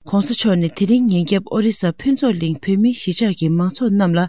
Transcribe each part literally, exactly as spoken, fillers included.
༧གོང་ས་མཆོག་ནས་དེ་རིང་ཉིན་རྒྱབ་ཨོ་རི་ས་ཕུན་ཚོགས་གླིང་བོད་མིའི་གཞིས་ཆགས་ཀྱི་མང་ཚོགས་རྣམས་ལ་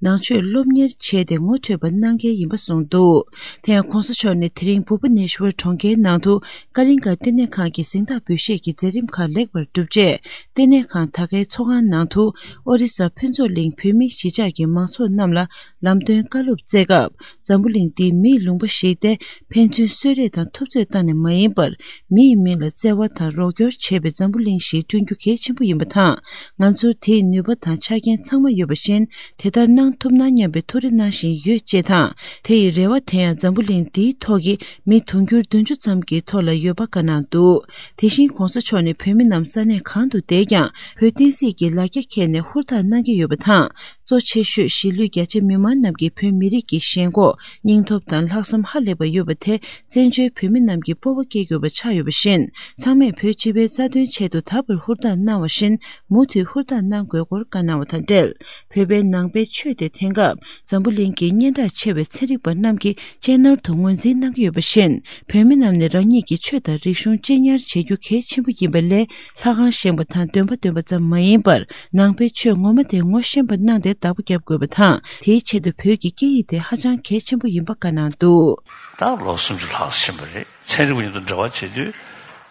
ནང་ཆོས་སློབ་གཉེར་བྱས་ཏེ་ངོ་འཕྲོད་པ་གནང་གལ་ཡིན་པ་གསུངས་འདུག་དེ་ཡང་༧གོང་ས་མཆོག་ནས་དེ་རིང་བུ་པ་ནེ་ཤ་ཝར་གྲོང་ཁྱེར་ནང་དུ་ཀ་ལིང་ག་ལྟེ་གནས་ཁང་གི་གཟེངས་རྟགས་འབུལ་བཞེས་ཀྱི་མཛད་རིམ་ཁག་ལེགས་པར་གྲུབ་རྗེས། ལྟེ་གནས་ཁང་ད་གའི་ཚོགས་ཁང་ནང་དུ་ཨོ་རི་ས་ཕུན་ཚོགས་གླིང་བོད་མིའི་གཞིས་ཆགས་ཀྱི་མང་ཚོགས་རྣམས་ལ་ལམ་སྟོན་བཀའ་སློབ་སྩལ་སྐབས། འཛམ་བུ་གླིང་འདི་མིའི་ལུང་པ་ཞིག་སྟེ། ཕན་ཚུན་གསོད་རེས་དང་འཐབ་རྩོད་བཏང་ནས་མ་ཡིན་པར། མི་ཡི་མིང་ལ་བརྩེ་བ་དང་རོགས་སྐྱོར་བྱེད་པའི་འཛམ་བུ་གླིང་ཞིག་བསྐྲུན་རྒྱུ་གལ་ཆེན་པོ་ཡིན་པ་དང་། ང་ཚོར་དེའི་ནུས་པ་དང་ཆ་རྐྱེན་ཚང་མ་ཡོད་པ་བཞིན། དེ་ལྟར་གནང་ཐུབ་ན་སྙམ་པའི་ཐུགས་རེ་གནང་བཞིན་ཡོད་ཅེས་དང་། དེ་ཡི་རེ་བ་དེ་ཡང་འཛམ་བུ་གླིང་འདིའི་ཐོག་གི་མི་དུང་ཕྱུར་བདུན་ཅུ་ཙམ་གྱི་ཐོག་ལ་ཡོད་པ་བཀའ་གནང་འདུག་དེ་བཞིན་༧གོང་ས་མཆོག་ནས་བོད་མི་རྣམས་ས་གནས་གང་དུ་བསྡད་ཀྱང་། བོད་བསྟན་སྲིད་ཀྱི་ལ་རྒྱ་འཁྱེར་ནས་ཧུར་ཐག་གནང་གི་ཡོད་པ་དང་། གཙོ་ཆེ་ཤོས་གཞིས་ལུས་རྒྱ་ཆེ་མི་མང་རྣམས་ཀྱིས་བོད་མི་རིགས་ཀྱི་ཞེན་ཁོག་སྙིང་སྟོབས་དང་ལྷག་བསམ་ཧ་ལས་པ་ཡོད་པ་དེ་བཙན་བྱོལ་བོད་མི་རྣམས་ཀྱི་སྤོབས་པ་སྐྱེ་དགོས་པ་ཆགས་ཡོད་པ་བཞིན། ཚང་མས་བོད་སྤྱི་པའི་རྩ་དོན་ཆེད་དུ་ད་བར་ཧུར་ཐག་གནང་བ་བཞིན། མུ་མཐུད་ཧུར་ཐག་གནང་དགོས་སྐོར་བཀའ་གནང་བ་དང་འབྲེལ། བོད་པའི་ནང་པའི་ཆོས་དེ་དེང་སྐབས་འཛམ་བུ་གླིང་གི་སྙན་གྲགས་ཆེ་བའི་ཚན་རིག་པ་རྣམས་ཀྱིས་གཅེས་ནོར་དུ་ངོས་འཛིན་གནང་གི་ཡོད་པ་བཞིན། བོད་མི་རྣམས་ནས་རང་ཉིད་ཀྱི་ཆོས་དང་རིག་གཞུང་གཅེས་ཉར་བྱེད་རྒྱུ་གལ་ཆེན་པོ་ཡིན་པ་ལས། ལྷ་ཁང་བཞེངས་པ་དང་འདོན་པ་འདོན་པ་ཙམ་མ་ཡིན་པར། ནང་པའི་ཆོས་ངོ་མ་དེ་ངོ་ཤེས་པ་གནང་སྟེ་བདག་པོ་བརྒྱབ་དགོས་པ་དང་། དེའི་ཆེད་དུ་བོད་ཀྱི་སྐད་ཡིག་དེ་ཧ་ཅང་གལ་ཆེན་པོ་ཡིན་པ་བཀའ་གནང་འདུག་ད་ལོ་སུམ་ཅུ་ལྷག་ཕྱིན་པ་རེད། ཚན་རིག་པ་མཉམ་དུ་འབྲེལ་བ་བྱེད་དུས།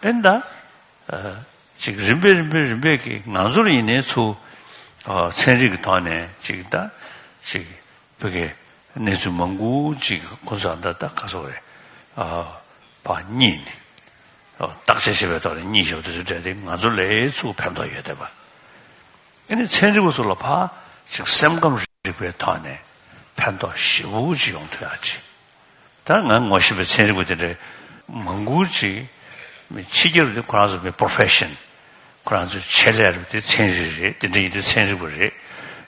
ཨེ་ད། ཨ། ཅིག་རིམ་པས་རིམ་པས་རིམ་པས་ཀྱིས་ང་ཚོར་ཡིན་ནའི་ཚུར། ཨ། ཚན་རིག་གི་ཐོག་ནས་ཅིག་ད། ཅིག་བོད་ཀྱི་གནས་ཚུལ་མང་པོ་ཅིག་ཁོ་ཚོ་ད་ལྟ་ག་ཚོད་རེད། ཨ། ཕར་རྙེད་ནས། ཨ། བརྟག་དཔྱད་བྱེད་པའི་ཐོག་ནས་རྙེད་བཞག་པ་དེ་ཚོ་འདྲ་དེ་ང་ཚོ་ལ་ཚུར་ཕན་ཐོགས་ཡོད་བསྡད་པ། ཨ་ནི་ཚན་རིག་པ་ཚོ་ལ་ཕར་ཅིག་སེམས་ཁམས་རིག་པའི་ཐོག་ནས་ཕན་ཐོགས་ཞེ་པོ་ཅིག་ཡོང་ཐུབ་ཡག་ཅིག་ད་ང་ངོ་ཤེས་པའི་ཚན་རིག་པ་དེ་འདྲའི་མང་པོ་ཅིག་མི་ཕྱི་རྒྱལ་དུ་ཁོ་རང་ཚོ་མི་པོ་རོ་ཕེ་ཤན། ཁོ་རང་ཚོའི་ཆེད་ལས་རེད་པ། དེ་ཚན་རིག་རེད། དེ་འདྲ་ཡིན་དུས་ཚན་རིག་པ་རེད།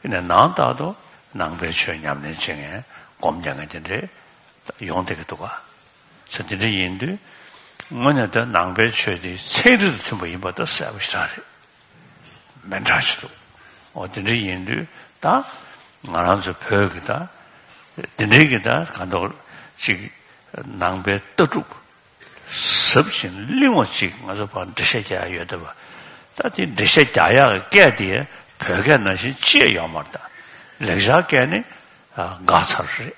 ཡིན་ནའི་ནང་ལྟར་དུ་ནང་པའི་ཆོས་ཉམས་ལེན་བྱེད་མཁན་སྒོམ་རྒྱག་མཁན་དེ་འདྲའི་ཡོང་བསྡད་ཀྱི་འདུག་ག་ས་དེ་འདྲ་ཡིན་དུས་དངོས་གནས་ད་ནང་པའི་ཆོས་དེ་ཚན་རིག་དང་མཐུན་པ་ཡིན་པ་ད་གསལ་པོ་ཞེ་དྲག་རེད། མི་འདྲ་ཞིག་འདུག་འོ་དེ་འདྲ་ཡིན་དུས་ད་ང་རང་ཚོ་བོད་ཀྱི་ད་དེ་འདྲའི་གི་ད་གང་ལྟར་ཅིག་ནང་པའི་ལྟ་གྲུབ་ཟབ་ཅིང་བརླིང་བ་ཅིག་ང་ཚོ་ཕར་འགྲེལ་བཤད་རྒྱག་ཡ་ཡོད་བསྡད་པ། ད་དེ་འགྲེལ་བཤད་རྒྱག་ཡ་གི་སྐད་དེ་བོད་སྐད་ནང་བཞིན་ཅི་ཡང་ཡོད་མ་རེད། ད་ལེགས་སྦྱར་སྐད་ནི་འགག་ཚར་རེད།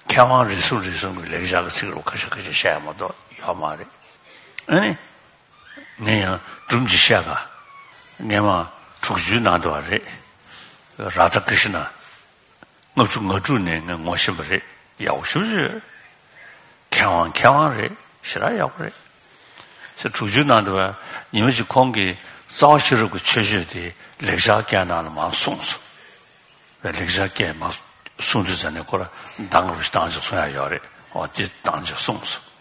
མཁས་དབང་རེ་ཟུང་རེ་ཟུང་གི་ལེགས་སྦྱར་གྱི་ཚིག་རུ་ཁ་ཤས་ཁ་ཤས་བཤད་ཡ་མ་གཏོགས་ཡོད་མ་རེད། ཨ་ནི། ངས་ཡང་སྒྲུང་ཅིག་བཤད་ག་སྔས་མ་དྲུག་ཅུའི་ནང་དུ་བ་རེད། རཱ་དྷ་ཀྲི་ཤི་ན། ལྔ་བཅུ་ང་དྲུག་ནས་ངས་ངོ་ཤེས་པ་རེད། ཡག་པོ་ཞེ་པོ་ཅིག་ཡོད། མཁས་དབང་མཁས་དབང་རེད། ཞེ་དྲག་ཡག་པོ་རེད། ཟེར་དྲུག་ཅུའི་ནང་དུ་བ་ཉི་མ་ཅིག་ཁོང་གིས་རྩ་བ་ཤེས་རབ་ཀྱི་མཆོད་བརྗོད་དེ་ལེགས་སྦྱར་སྐད་ནང་ལ་མར་གསུངས་སོང་། བའི་ལེགས་སྦྱར་སྐད་མར་གསུང་དུས་ཙ་ནས་ཁོ་ར་གདངས་རུ་ཞིག་བཏང་ཅིག་གསུང་ཡ་ཡོད་རེད། འོ་དེ་བཏང་ཅིག་གསུངས་སོང་།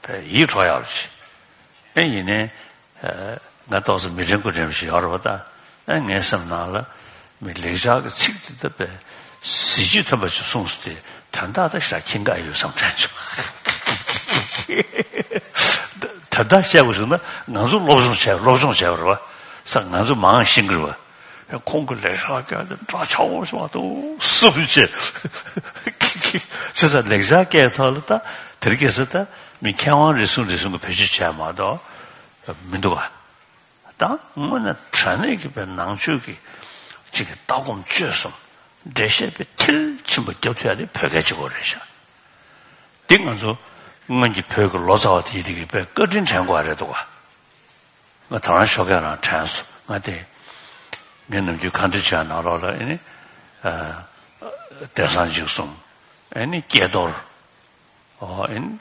བས་ཡིད་འཕྲོག་ཡག་རུ་ཅིག་ཨེ་ཡིན་ནའི། ཨ། ང་ཏོག་ཙམ་མི་དྲན་དགུ་དྲན་པ་ཞིག་ཡོད་རེད་པ་ད། ཨེ་ངའི་སེམས་ནང་ལ་མི་ལེགས་སྦྱར་གྱི་ཚིག་དེ་ད་བས་གཟི་བརྗིད་ཐོན་པ་ཞིག་གསུངས་སོང་། དེ་དོན་དག་ད་ཞེ་དྲག་མཁྱེན་གྱི་ཡོད་བསམ་དྲན་བྱུང་། དོན་དག་བཤད་དགོས་བྱུང་ན་ང་ཚོ་སློབ་སྦྱོང་བྱས་སློབ་སྦྱོང་བྱས་པ་རེད་པ། ས་ང་ཚོ་མང་ཤེས་ཀྱི་རེད་པ། ཁོང་གི་ལེགས་སྦྱར་སྐད་དེ་འདྲ་ཆགས་པོ་ཞིག་མ་གཏོགས་གསུང་བྱས། བྱས་ཙང་ལེགས་སྦྱར་སྐད་ཐོག་ལ་ད་དེ་རིང་ཁ་སང་ད་མི་མཁས་དབང་རེ་ཟུང་རེ་ཟུང་གིས་བེད་སྤྱོད་བྱས་མ་གཏོགས་མི་འདུག་ག་ད་དངོས་གནས་དྲང་གནས་ཀྱི་པའི་ནང་ཆོས་ཀྱི་ཅིག་གི་ལྟ་སྒོམ་སྤྱོད་གསུམ་འགྲེལ་བཤད་པའི་མཐིལ་ཕྱིན་པ་རྒྱབ་ཐུབ་ཡ་དེ་བོད་སྐད་གཅིག་པོ་རེད་ཤག་འདི་ང་ཚོ་སྔོན་གྱི་བོད་ཀྱི་ལོ་ཙཱ་བ་དེ་དེ་གི་པའི་བཀའ་དྲིན་དྲན་དགོས་པ་རེད་འདུག་ག་ང་ད་རང་ཞོགས་ཀས་རང་དྲན་སོང་། ང་དེ་ངའི་ནམ་རྒྱུན་ཁ་འདོན་བྱས་ནང་ལོགས་ལ་ཨེ་ནི། ཨ། དེང་སང་འཇིགས་གསུམ། ཨེ་ནི་སྐྱེས་རྡོར། ཨོ་ཨེ་ནི།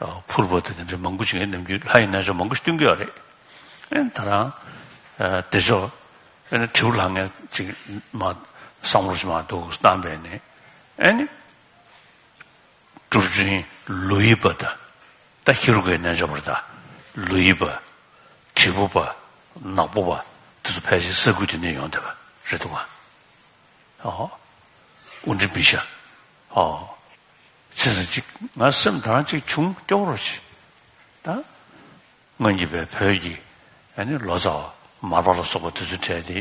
ཨ། ཕུར་བུ་དེ་འདྲ་མང་པོ་ཅིག་ངའི་ནམ་རྒྱུན་ལྷ་ཡི་རྣལ་འབྱོར་མང་པོ་ཞིག་སྟོན་གྱི་ཡོད་རེད། ཨེ་ནི་ད་རང་། ཨ། དེ་ཕྱོགས། ཨེ་ནི་དྲིལ་བུ་ལྷ་ངས་ཅིག་མ་བསམ་བློ་ཞིག་མ་འདུག་བཏང་བས་ནི། ཨེ་ནི། གྲུབ་ཆེན་ལོ་ཡི་པ་དང་། ད་ཧེ་རུ་ཀའི་རྣལ་འབྱོར་པ་དང་། ལོ་ཡི་པ། དྲིལ་བུ་པ། ནག་པོ་པ། དེ་ཚོ་ཕལ་ཆེར་ས་ཁུལ་དེ་ནས་ཡོང་བསྡད་པ་རེད་འདུག་ག་ཨོ། དབུ་འབྲི་མི་ཤ། ཨོ། བྱས་ཙང་ཅིག་ང་སེམས་ད་རང་ཅིག་བྱུང་སྐྱོ་པོ་རོ་ཅིག་ད། སྔོན་གྱི་བའི་བོད་ཀྱི་ཨ་ནི་ལོ་ཙཱ་བ་མར་པ་ལ་སོགས་པ་དེ་ཚོའི་གྲས་དེ་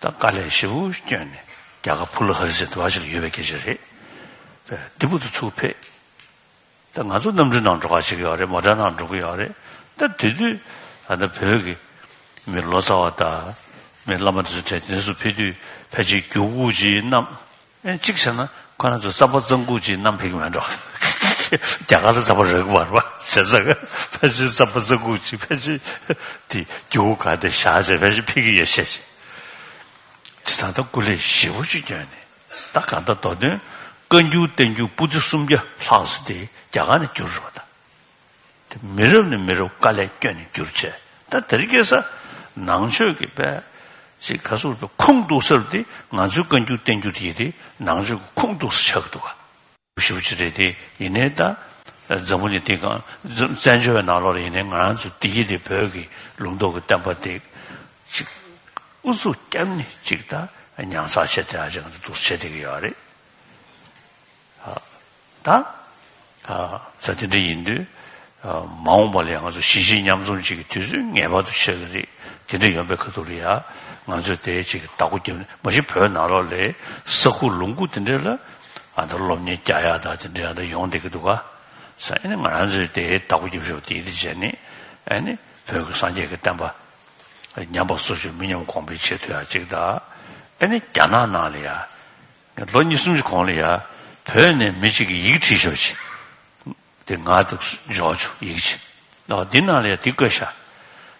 ད་དཀའ་ལས་ཞེ་པོ་བསྐྱོན་ནས་རྒྱ་གར་ཕུ་ལ་ཧ་རི་ཟེར་དུ་བ་ཞིག་ལ་ཡོད་པའི་སྐད་ཆ་རེད། བས་འདི་བུ་དུ་ཚུར་ཕེབས། ད་ང་ཚོ་གནམ་གྲུའི་ནང་འགྲོ་ག་ཅིག་ཡོད་རེད། མོ་ཊའི་ནང་འགྲོ་གི་ཡོད་རེད། ད་དེ་དུས་ཨ་ནི་བོད་ཀྱི་ མི་ལོ་ཙཱ་བ་དང་མི་བླ་མ་དེ་ཚོ་གྲས་དེ་ཚོ་ཕེབས་དུས་ཕལ་ཆེར་རྒྱུ་གུ་ཅིག་བསྣམས། ཨེ་གཅིག་བྱས་ན་ཁོ་རང་ཚོ་རྩམ་པ་རྩམ་ཁུག་ཅིག་བསྣམས་ཕེབས་ཀྱི་མེད་འགྲོ། རྒྱ་གར་ལ་རྩམ་པ་རག་གི་མ་རེད་པ། བྱས་ཙང་ཕལ་ཆེར་རྩམ་པ་རྩམ་ཁུག་ཅིག་ཕལ་ཆེར་དེ་རྒྱུ་གུ་ག་དེ་བཞག་བྱས་ཕལ་ཆེར་ཕེབས་ཀྱི་ཡོད་ཤས་ཅིག་བྱས་ཙང་ད་སྐུ་ལས་ཞེ་པོ་ཅིག་བསྐྱོན་ནས། ད་གང་ལྟར་མདོ་དོན་བཀའ་འགྱུར་བསྟན་འགྱུར་པོ་ཏི་སུམ་བརྒྱ་ལྷག་ཙམ་དེ་རྒྱ་གར་ནས་བསྒྱུར་རེད་པ་ད། དེ་མི་རབས་ནས་མི་རབས་དཀའ་ལས་བསྐྱོན་ནས་བསྒྱུར་བྱས། ད་དེ་རིང་ཁ་སང་ནང་ཆོས་ཀྱི་དཔེ་ཅིག་ག་ཟེར་བའི་ཁུངས་གཏུགས་ས་དེ་ང་ཚོའི་བཀའ་འགྱུར་བསྟན་འགྱུར་དེ་ཡིན་ཏེ་ནང་ཆོས་ཀྱི་ཁུངས་གཏུགས་ས་ཆགས་འདུག་ག་ཞེ་པོ་ཅིག་རེད་དེ། ཡིན་ནའི་ད་འཛམ་བུ་གླིང་འདི་སྒང་བཙན་བྱོལ་བའི་ནང་ལོགས་ལ་ཡིན་ནའི་ང་རང་ཚོ་བདེ་སྐྱིད་དེ་བོད་ཀྱི་ལུང་རྟོགས་ཀྱི་བསྟན་པ་དེ་ཅིག་ཨུ་ཚུགས་བརྒྱབ་ནས་ཅིག་ད་ཉར་ཚགས་བྱས་བསྡད་ཡ་ཅིག་ང་ཚོ་འདུག་བྱས་བསྡད་ཀྱི་ཡོད་རེད། ད་ས་དེ་འདྲ་ཡིན་དུས་མ་འོངས་པ་ལ་ཡང་ང་ཚོ་གཞིས་བྱེས་མཉམ་འཛོམས་བྱེད་ཀྱི་དུས་ཚོད་ངེས་པར་དུ་ཆགས་ཀྱི་རེད། དེ་འདྲ་ཡོང་པའི་ཁ་ཐུག་ལ་ཡ་ང་ཚོས་དེ་ཅིག་བདག་པོ་རྒྱབ་ནས། མ་གཞི་བོད་ནང་ལོགས་ལ་ས་ཁུག་ལུང་ཁུག་དེ་འདྲ་ལ་ཨ་ད་སློབ་གཉེར་རྒྱག་ཡ་ད་དེ་འདྲ་ཡ་ད་ཡོང་བསྡད་ཀྱི་འདུག་ག་ས་ཨ་ནི་ང་རང་ཚོས་དེ་བདག་པོ་རྒྱབ་ཤོག་དེ་དེ་བྱས་ནས་ཨ་ནི་བོད་ཀྱི་སངས་རྒྱས་ཀྱི་བསྟན་པ་ཉམས་པ་སོར་ཆུད་མི་ཉམས་གོང་འཕེལ་བྱེད་ཐུབ་ཡ་ཅིག་ད། ཨ་ནི་རྒྱ་ནག་ནང་ལ་ཡ། ལོ་གཉིས་གསུམ་ཞིག་གོང་ལ་ཡ། བོད་ནས་མི་གཅིག་གིས་ཡི་གེ་བྲིས་ཤོག་ཅིག་དེ་ང་དེ་འབྱོར་བྱུང་ཡི་གེ་ཅིག་ཨོ་འདི་ནང་ལ་ཡ་དེ་བཀོད་ཤག་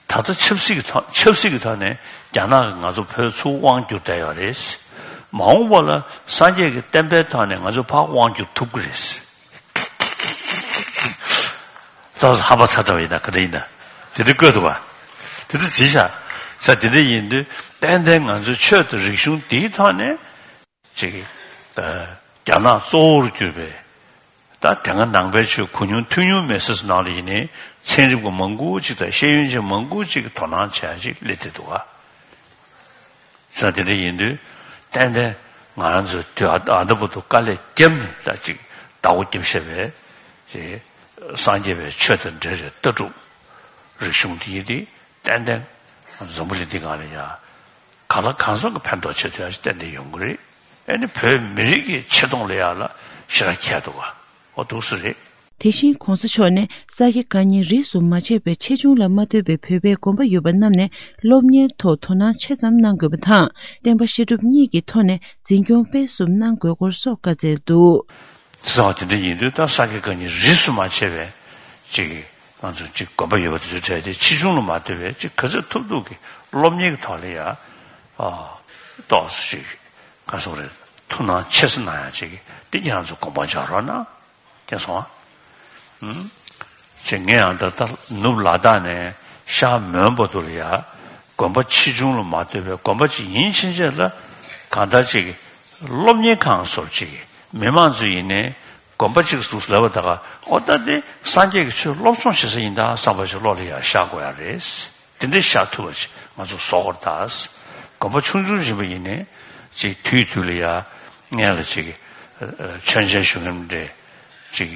ད་ལྟ་ཆབ་སྲིད་ཀྱི་ཐོག་ཆབ་སྲིད་ཀྱི་ཐོག་ནས་རྒྱ་ནག་གིས་ང་ཚོ་བོད་ཚུར་དབང་བསྒྱུར་བསྡད་ཡོད་རེད། མ་འོངས་པ་ལ་སངས་རྒྱས་ཀྱི་བསྟན་པའི་ཐོག་ནས་ང་ཚོ་ཕར་དབང་བསྒྱུར་ཐུབ་ཀྱི་རེད། ད་ཧམ་པ་ཚ་ཚ་བ་ཡིན་ན་ག་འདྲ་ཡིན་ན། དེ་འདྲ་བཀོད་འདུག་ག་དེ་འདྲ་བྲིས་ཤག་ས་དེ་འདྲ་ཡིན་དུས་ཏན་ཏན་ང་ཚོའི་ཆོས་དང་རིག་གཞུང་འདིའི་ཐོག་ནས་ཅིག་ཨ་རྒྱ་ནག་གཙོ་བོར་གྱུར་པའི་ད་དེ་སྔ་ནང་པའི་ཆོས་གོ་མྱོང་ཐོས་མྱོང་མེད་ས་ཚོ་ནང་ལ་ཡིན་ནའི་ཚན་རིག་པ་མང་པོ་ཅིག་དང་ཤེས་ཡོན་ཅན་མང་པོ་ཅིག་གིས་དོ་སྣང་བྱེད་ཡ་ཅིག་སླེབས་བསྡད་འདུག་ག་ས་དེ་འདྲ་ཡིན་དུས་ཏན་ཏན་ང་རང་ཚོས་དུས་ཨ་ཨ་ད་བར་དུ་དཀའ་ལས་བརྒྱབ་ནས་ད་ཅིག་བདག་པོ་རྒྱབ་བཞག་པའི་ཅིག་སངས་རྒྱས་པའི་ཆོས་དང་འབྲེལ་བའི་ལྟ་གྲུབ་རིག་གཞུང་དེ་ཡིན་ཏེ་ཏན་ཏན་འཛམ་བུ་གླིང་འདི་སྒང་ལ་ཡ་གང་ལ་གང་འཚམ་གྱི་ཕན་ཐོགས་བྱེད་ཐུབ་ཡ་ཞིག་ཏན་ཏན་ཡོང་གི་རེད། ཨ་ནི་བོད་མི་རིགས་ཀྱི་ཆེ་མཐོང་ལ་ཡ་ལ་ཞེ་དྲག་ཁྱད་འདུག་ག་ཨོ་འདུག་སེ་རེད། དེ་བཞིན་༸གོང་ས་མཆོག་ནས་ས་དགེ་བཀའ་རྙིང་རིས་སུ་མ་ཆད་པའི་ཆེ་ཆུང་ལ་མ་ལྟོས་པའི་བོད་པའི་དགོན་པ་ཡོད་པ་རྣམས་ནས་སློབ་གཉེར་ཐོག་དོ་སྣང་ཆེ་ཙམ་གནང་དགོས་པ་དང་། བསྟན་པ་བཤད་སྒྲུབ་གཉིས་ཀྱི་ཐོག་ནས་འཛིན་སྐྱོང་སྤེལ་གསུམ་གནང་དགོས་སྐོར་སོགས་བཀའ་སྩལ་འདུག་ཟེར་བ་དེ་འདྲ་ཡིན་དུས་ད་ས་དགེ་བཀའ་རྙིང་རིས་སུ་མ་ཆད་པའི་ཅིག་ང་ཚོ་ཅིག་དགོན་པ་ཡོད་པ་དེ་ཚོའི་གྲས་དེ་ཆེ་ཆུང་ལ་མ་ལྟོས་པའི་ཅིག་ག་ཚོད་ཐུབ་ཐུབ་ཀྱི་སློབ་གཉེར་གྱི་ཐོག་ལ་ཡ་ཨ་ཏོག་ཙམ་ཅིག་ག་ཟེར་དགོས་རེད། ཐུགས་སྣང་ཆེ་ཙམ་གནང་ཡ་ཅིག་དེ་ཁྱེད་རང་ཚོ་དགོངས་པ་འཇགས་རོགས་གནང་། མཁྱེན་སོང་ཨ། ཨུམ། ཅེས་ངས་ཡང་ད་ལྟ་ནུབ་ལ་དྭགས་ནས་ཤར་མོན་བར་དུ་ལ་ཡ་དགོན་པ་ཆེ་ཆུང་ལ་མ་ལྟོས་པའི་དགོན་པ་ཅིག་ཡིན་ཕྱིན་ཆད་ལ་གང་ལྟར་ཅིག་སློབ་གཉེར་ཁང་སོར་ཅིག་མི་མང་ཚོ་ཡིན་ནའི་དགོན་པ་ཅིག་འདུག་ལབ་པ་ད་ག་ཨོ་ད་དེ་སངས་རྒྱས་ཀྱི་ཆོས་སློབ་སྦྱོང་བྱེད་ས་ཡིན་ད་བསམ་པ་ཅིག་བློ་ལ་ཡ་ཤར་དགོས་ཡ་རེད། དེ་འདྲའི་ཤར་ཐུབ་པ་ཅིག་ང་ཚོ་བཟོ་དགོས་རེད་ད། དགོན་པ་ཆུང་ཆུང་ཡིན་པ་ཡིན་ནའི་ཅིག་དུས་དུས་ལ་ཡ་སྔན་ལ་ཅིག་མཆོད་མཇལ་ཞུ་མཁན་འདྲ་ཅིག་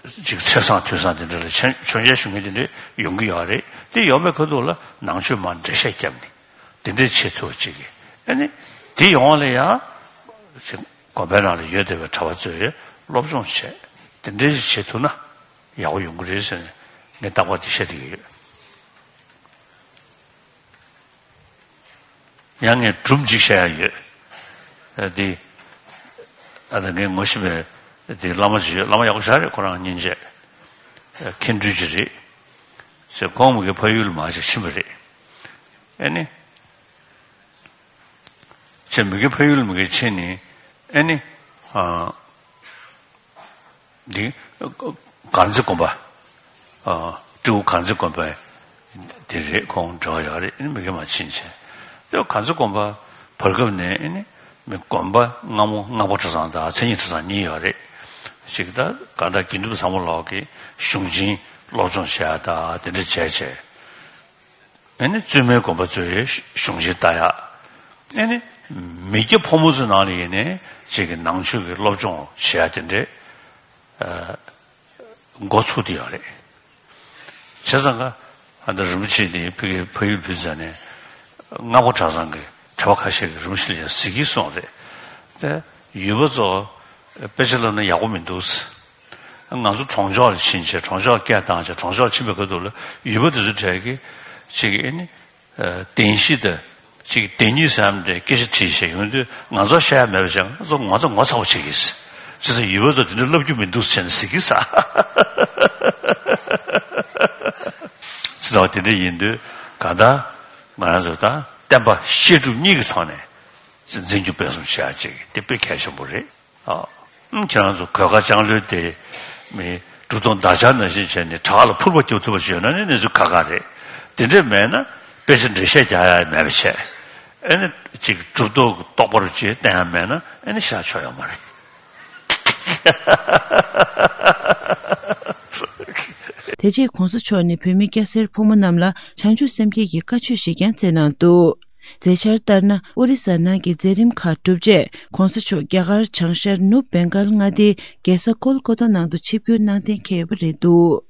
ཅིག་ཚེས་བཟང་དུས་བཟང་དེ་འདྲ་ལ་མཆོད་མཇལ་ཞུ་མཁན་དེ་འདྲ་ཡོང་གི་ཡོད་རེད། དེ་ཡོང་པའི་ཁ་ཐུག་ལ་ནང་ཆོས་མར་འགྲེལ་བཤད་བརྒྱབ་ནས་དེ་འདྲ་བྱེད་ཐུབ་པ་ཅིག་གིས་ཨ་ནི་དེ་ཡོང་བ་ལ་ཡ་ཅིག་དགོན་པའི་ནང་ལ་ཡོད་བསྡད་པའི་གྲྭ་པ་ཚོས་སློབ་སྦྱོང་བྱས་དེ་འདྲ་ཞིག་བྱེད་ཐུབ་ན་ཡག་པོ་ཡོང་གི་རེད་ཟེར་ནས་ངས་རྟག་པར་དེ་བཤད་བསྡད་ཀྱི་ཡོད། ཡང་ངས་སྒྲུང་གཅིག་བཤད་ཡ་ཡོད། ཨ་དེ། ཨ་ད་ངས་ངོ་ཤེས་པའི་དེ་བླ་མ་ཅིག་ཡོད། བླ་མ་ཡག་པོ་ཞེ་དྲག་རེད། ཁོ་རང་སྙིང་རྗེ། མཁན་སྤྲུལ་ཅིག་རེད། ཟེར་ཁོང་མ་གི་ཕ་ཡུལ་ལ་མར་ཅིག་ཕྱིན་པ་རེད། ཨ་ནི། ཅེས་མ་གི་ཕ་ཡུལ་ལ་མ་གི་ཕྱིན་ནས་ཨ་ནི། ཨ། འདི། དཀར་མཛེས་དགོན་པ། ཨ། སྤྲེའུ་དཀར་མཛེས་དགོན་པ། དེ་རེད། ཁོང་འབྲེལ་བ་ཡོད་རེད། ཨ་ནི་མ་གི་མར་ཕྱིན་བྱས། དེ་དཀར་མཛེས་དགོན་པ་བར་སྐབས་ནས་ཨ་ནི་མི་དགོན་པ་སྔ་མོ་སྔགས་པ་གྲྭ་ཚང་དང་མཚན་ཉིད་གྲྭ་ཚང་གཉིས་ཡོད་རེད། ཞིག་ད་ག་ད་དགེ་འདུན་པ་ཚང་མ་ལོག་གི་གཞུང་ཆེན་སློབ་སྦྱོང་བྱས་ད་དེ་འདྲ་བྱས་བྱས། ཨ་ནི་བཙུན་མའི་དགོན་པ་ཚོའི་གཞུང་ཆེན་ལྟ་ཡག་ཨ་ནི་མི་སྐྱ་ཕོ་མོ་ཚོའི་ནང་ལ་ཡིན་ནའི་ཅིག་གི་ནང་ཆོས་ཀྱི་སློབ་སྦྱོང་བྱེད་ཡག་དེ་འདྲའི་འགོ་ཚུགས་བསྡད་ཡོད་རེད། བྱས་ཙང་ཀ་ཨ་ད་རིན་པོ་ཆེ་དེ་ཕ་གིའི་ཕ་ཡུལ་ཕེབས་ཙང་ནས་སྔགས་པ་གྲྭ་ཚང་གི་གྲྭ་པ་ཁ་ཤས་ཀྱིས་རིན་པོ་ཆེ་ལ་ཡང་གཟིགས་ཀྱིན་སོང་རེད། དེ་ཡུལ་པ་ཚོ་དཔེ་ཆ་བསླབ་ན་ཡག་པོ་མི་འདུག་ང་ཚོ་གྲོང་ཆོག་ལ་ཕྱིན་བྱས་གྲོང་ཆོག་ལ་སྐད་བཏང་བྱས་གྲོང་ཆོག་ཕྱིན་པའི་ཁ་ཐུག་ལ་ཡུལ་པ་དེ་ཚོ་གྲས་ཀྱིས་ ཅིག་ཨེ་ནི། བདེན་བཞི་དང་། ཅིག་བདེན་གཉིས་ཟེར་ཡག་འདྲ་སྐད་ཆ་དྲིས་བྱས་ཡོང་དུས་ང་ཚོ་བཤད་ཡག་མེད་པ་བྱས། ང་ཚོ་ངོ་ཚ་ངོ་ཚ་པོ་བྱེད་ཀྱི་ཟེར། ཅི་ཟེར་ཡུལ་པ་ཚོ་དེ་འདྲ་ལབ་རྒྱུ་མི་འདུག་ཟེར་ནས་ཟེར་གྱི་ཟེར། ཅི་ཟེར་བ་དེ་འདྲ་ཡིན་དུས་གང་ལྟར་ང་རང་ཚོ་ད་བསྟན་པ་བཤད་སྒྲུབ་གཉིས་ཀྱི་ཐོག་ནས་འཛིན་སྐྱོང་སྤེལ་གསུམ་བྱེད་ཡག་ཅིག་དེ་དཔེ་གལ་ཆེན་པོ་རེད། ཨ། ཁྱེད་རང་ཚོ་གོས་དཀར་ལྕང་ལོའི་དེ་མི་གྲུབ་ཐོབ་འདག་ཆ་ནང་བཞིན་བྱས་ནས་བྲག་ལ་ཕུར་པ་རྒྱབ་ཐུབ་པ་ཞིག་ཡོད་ན་ནི་གནས་ཚུལ་ཁག་ཁག་རེད། དེ་འདྲས་མེད་ན་དཔེ་ཆ་འགྲེལ་བཤད་རྒྱག་ཡག་མེད་པ་བྱས། ཨེ་ནི་ཅིག་གྲུབ་ཐོབ་རྟོགས་པ་རུ་ཅིག་བསྟན་ཡག་མེད་ན་ཨེ་ནི་བཞག་ཆོག་ཡོད་མ་རེད། དེ་རྗེས་གོང་ས་མཆོག་ནས་བོད་མི་སྐྱ་སེར་ཕོ་མོ་རྣམས་ལ་བྱང་ཆུབ་སེམས་བསྐྱེད་ཀྱི་བཀའ་ཆོས་ཤིག་ཀྱང་སྩལ་གནང་འདུག་མཛད་འཆར་ལྟར་ན། ཨོ་རི་ས་ནང་གི་མཛད་རིམ་ཁག་གྲུབ་རྗེས་གོང་ས་མཆོག་རྒྱ་གར་བྱང་ཤར་ནུབ་བེང་གལ་མངའ་སྡེའི་རྒྱལ་ས་ཀོལ་ཀོ་ཏ་ནང་དུ་ཆིབས་བསྒྱུར་གནང་གཏན་འཁེལ་ཡོད་པ་རེད་འདུག